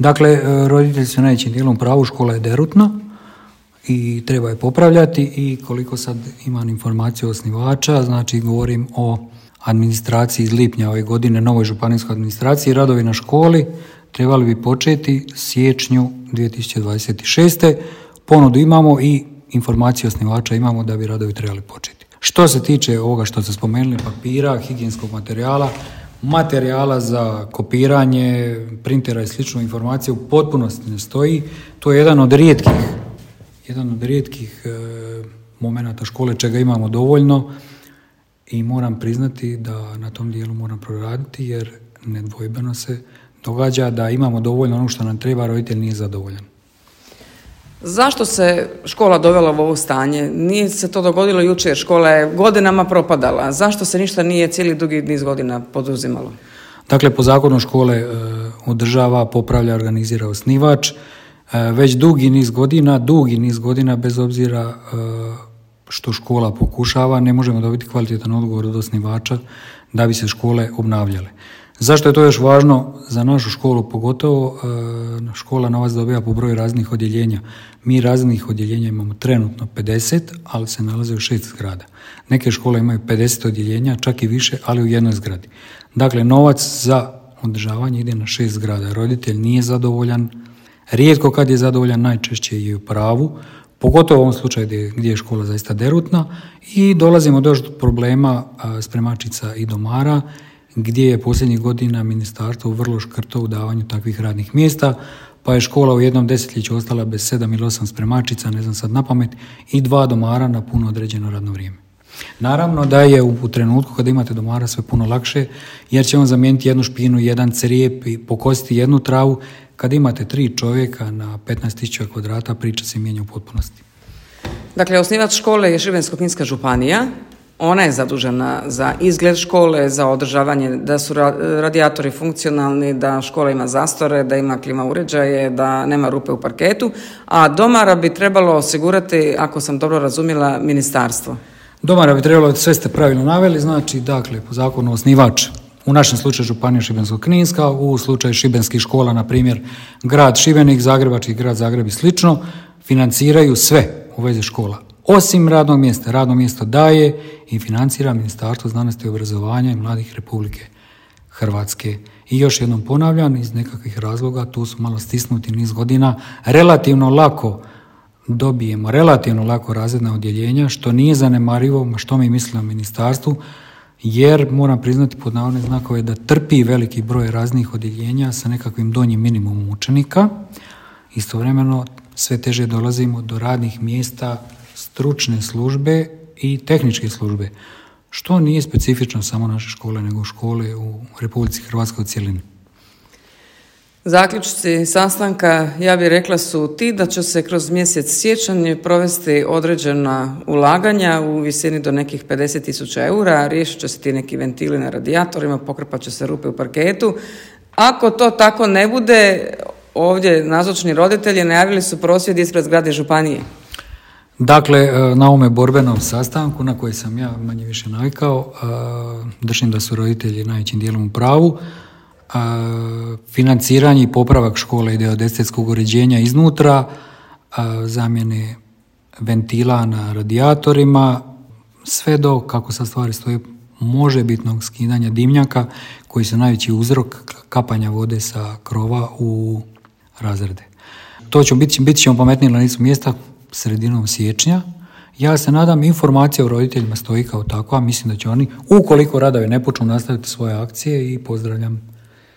Dakle, roditelji su najvećim dijelom u pravu, škola je derutna i treba je popravljati i koliko sad imam informaciju osnivača, znači govorim o administraciji iz lipnja ove godine, novoj županijskoj administraciji, radovi na školi trebali bi početi siječnju 2026. Ponudu imamo i informacije osnivača imamo da bi radovi trebali početi. Što se tiče ovoga što ste spomenuli, papira, higijenskog materijala za kopiranje, printera i sličnu informaciju u potpunosti ne stoji. To je jedan od rijetkih momenata škole čega imamo dovoljno i moram priznati da na tom dijelu moram proraditi jer nedvojbeno se događa da imamo dovoljno ono što nam treba, roditelj nije zadovoljan. Zašto se škola dovela u ovo stanje? Nije se to dogodilo jučer, škola je godinama propadala. Zašto se ništa nije cijeli dugi niz godina poduzimalo? Dakle, po zakonu škole održava, popravlja, organizira osnivač. Već dugi niz godina, bez obzira što škola pokušava, ne možemo dobiti kvalitetan odgovor od osnivača da bi se škole obnavljale. Zašto je to još važno za našu školu? Pogotovo škola novac dobiva po broju raznih odjeljenja. Mi raznih odjeljenja imamo trenutno 50, ali se nalaze u 6 zgrada. Neke škole imaju 50 odjeljenja, čak i više, ali u jednoj zgradi. Dakle, novac za održavanje ide na 6 zgrada. Roditelj nije zadovoljan, rijetko kad je zadovoljan, najčešće je u pravu, pogotovo u ovom slučaju gdje je škola zaista derutna i dolazimo do problema spremačica i domara, gdje je posljednjih godina ministarstvo vrlo škrto u davanju takvih radnih mjesta, pa je škola u jednom desetljeću ostala bez 7 ili 8 spremačica, ne znam sad napamet, i 2 domara na puno određeno radno vrijeme. Naravno da je u trenutku kada imate domara sve puno lakše, jer će on zamijeniti jednu špinu, jedan crijep i pokositi jednu travu. Kad imate 3 čovjeka na 15.000 kvadrata, priča se mijenja u potpunosti. Dakle, osnivač škole je Šibensko-kninska županija. Ona je zadužena za izgled škole, za održavanje, da su radijatori funkcionalni, da škola ima zastore, da ima klima uređaje, da nema rupe u parketu, a domara bi trebalo osigurati, ako sam dobro razumjela, ministarstvo. Domara bi trebalo, sve ste pravilno naveli, znači, dakle, po zakonu osnivač, u našem slučaju županija Šibensko-kninska, u slučaju šibenskih škola, na primjer, grad Šibenik, Zagrebački grad Zagreb i slično, financiraju sve u vezi škola. Osim radnog mjesta. Radno mjesto daje i financira Ministarstvo znanosti i obrazovanja i mladih Republike Hrvatske. I još jednom ponavljam, iz nekakvih razloga, tu su malo stisnuti niz godina, relativno lako razredna odjeljenja, što nije zanemarivo, što mi mislimo o ministarstvu, jer moram priznati pod navodne znakove da trpi veliki broj raznih odjeljenja sa nekakvim donjim minimumom učenika. Istovremeno sve teže dolazimo do radnih mjesta stručne službe i tehničke službe, što nije specifično samo naše škole, nego škole u Republici Hrvatskoj u cjelini. Zaključci sastanka, ja bih rekla, su ti da će se kroz mjesec siječanj provesti određena ulaganja u visini do nekih 50.000 eura, riješit će se ti neki ventili na radijatorima, pokrpat će se rupe u parketu. Ako to tako ne bude, ovdje nazočni roditelji najavili su prosvjed ispred zgrade županije. Dakle, na ovome borbenom sastanku na koji sam ja manje više navikao, držim da su roditelji najvećim dijelom u pravu. Financiranje i popravak škole ide od estetskog uređenja iznutra, zamjene ventila na radijatorima, sve do, kako sad stvari stoje, možebitnog skidanja dimnjaka koji su najveći uzrok kapanja vode sa krova u razrede. To će bit ćemo pametniji na licu mjesta sredinom siječnja. Ja se nadam, informacija o roditeljima stoji kao takva, mislim da će oni, ukoliko radovi ne počnu, nastaviti svoje akcije i pozdravljam